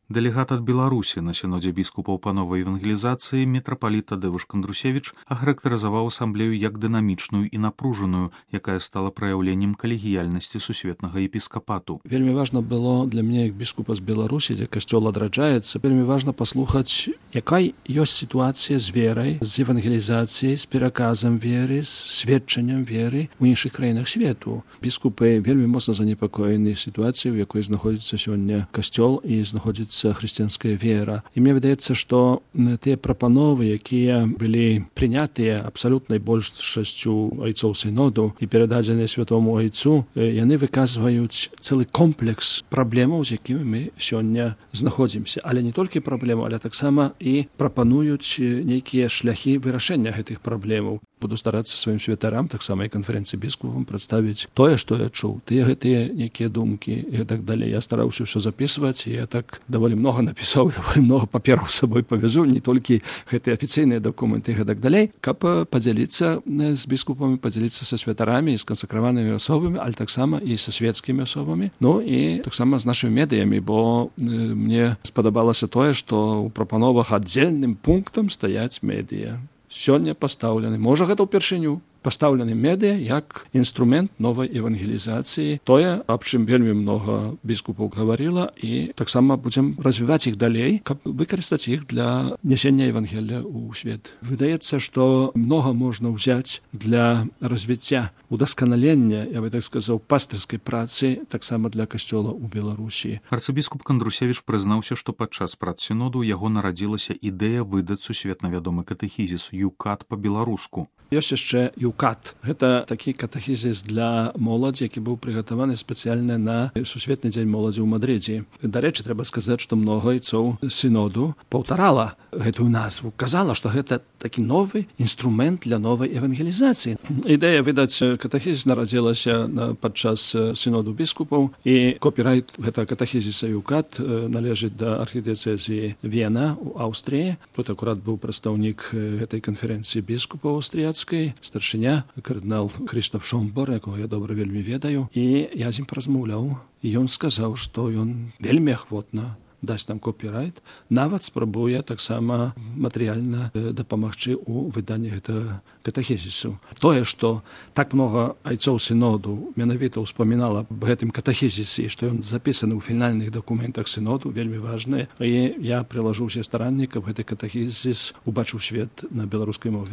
Дэлегат ад Беларусі на сінодзе біскупаў па новай евангелізацыі мітрапаліт Тадеуш Кандрусевіч ахарактарызаваў асамблею як дынамічную і напружаную, якая стала праяўленнем калегіяльнасці сусветнага епіскапату. Вельмі важна было для мяне як біскупа з Беларусі, дзе касцёл адраджаецца, вельмі важна паслухаць, якая ёсць сітуацыя з верай, з евангелізацыяй, з пераказам веры, з сведчаннем веры ў іншых краінах свету. Біскупы вельмі моцна занепакоены сітуацыяй, у якой знаходзіцца сёння касцёл і знаходзіцца хрысціянская вера. І мне выдаецца, што тыя прапановы, якія былі прынятыя абсалютнай большасцю айцоў сіноду і перададзеныя святому айцу, яны выказваюць цэлы комплекс праблемаў, з якімі мы сёння знаходзімся. Але не толькі праблемаў, але таксама і прапануюць нейкія шляхі вырашэння гэтых праблемаў. Буду старацца сваім святарам, таксама і канферэнцыі біскупам прадставіць тое, што я чуў, гэтыя нейкія думкі і так далей. Я стараўся ўсё запісваць, і я так даволі многа напісаў, даволі многа папераў з сабой павязу, не толькі гэтыя афіцыйныя дакументы і так далей, каб падзяліцца з біскупамі, падзяліцца са святарамі і з кансакраванымі асобамі, але таксама і са свецкімі асобамі, ну і таксама з нашымі медыямі, бо мне спадабалася тое, што ў прапановах аддзельным пунктам стаяць медыя. Сёння пастаўлены, можа гэта ўпершыню, пастаўлены медыя як інструмент новай евангелізацыі. Тое, аб чым вельмі многа біскупаў гаварыла, і таксама будзем развіваць іх далей, каб выкарыстаць іх для нясення евангелія ў свет. Выдаецца, што многа можна ўзяць для развіцця, удасканалення, я бы так сказаў, пастырскай працы, таксама для касцёла ў Беларусі. Арцыбіскуп Кандрусевіч прызнаўся, што падчас прац сіноду яго нарадзілася ідэя выдаць сусветна вядомы катэхізіс «Юкат» па-беларуску. Ёсць яшчэ «Юкат». Гэта такі катэхізіс для моладзі, які быў прыгатаваны спецыяльна на Сусветны дзень моладзі ў Мадрыдзе. Дарэчы, трэба сказаць, што многа айцоў сіноду паўтарала гэтую назву. Казала, што гэта такі новы інструмент для новай евангелізацыі. Ідэя выдаць катэхізіс нарадзілася падчас сіноду біскупаў, і копірайт гэтага катэхізіса «Юкат» належыць да архідыцэзіі Вена ў Аўстрыі. Тут акурат быў прадстаўнік гэтай канферэнцыі біскупаў аўстрыяцкай, старшыня, кардынал Крыштаф Шомбор, якого я добра вельмі ведаю, і я з ім паразмаўляў, і ён сказаў, што ён вельмі ахвотна дасць нам копірайт, нават спрабуе таксама матэрыяльна дапамагчы ў выданні гэтага катэхізісу. Тое, што так многа айцоў сіноду менавіта ўспамінала аб гэтым катэхізісе, што ён запісаны ў фінальных дакументах сіноду, вельмі важнае, і я прылажу ўсе старанні, каб гэты катэхізіс убачыў свет на беларускай мове.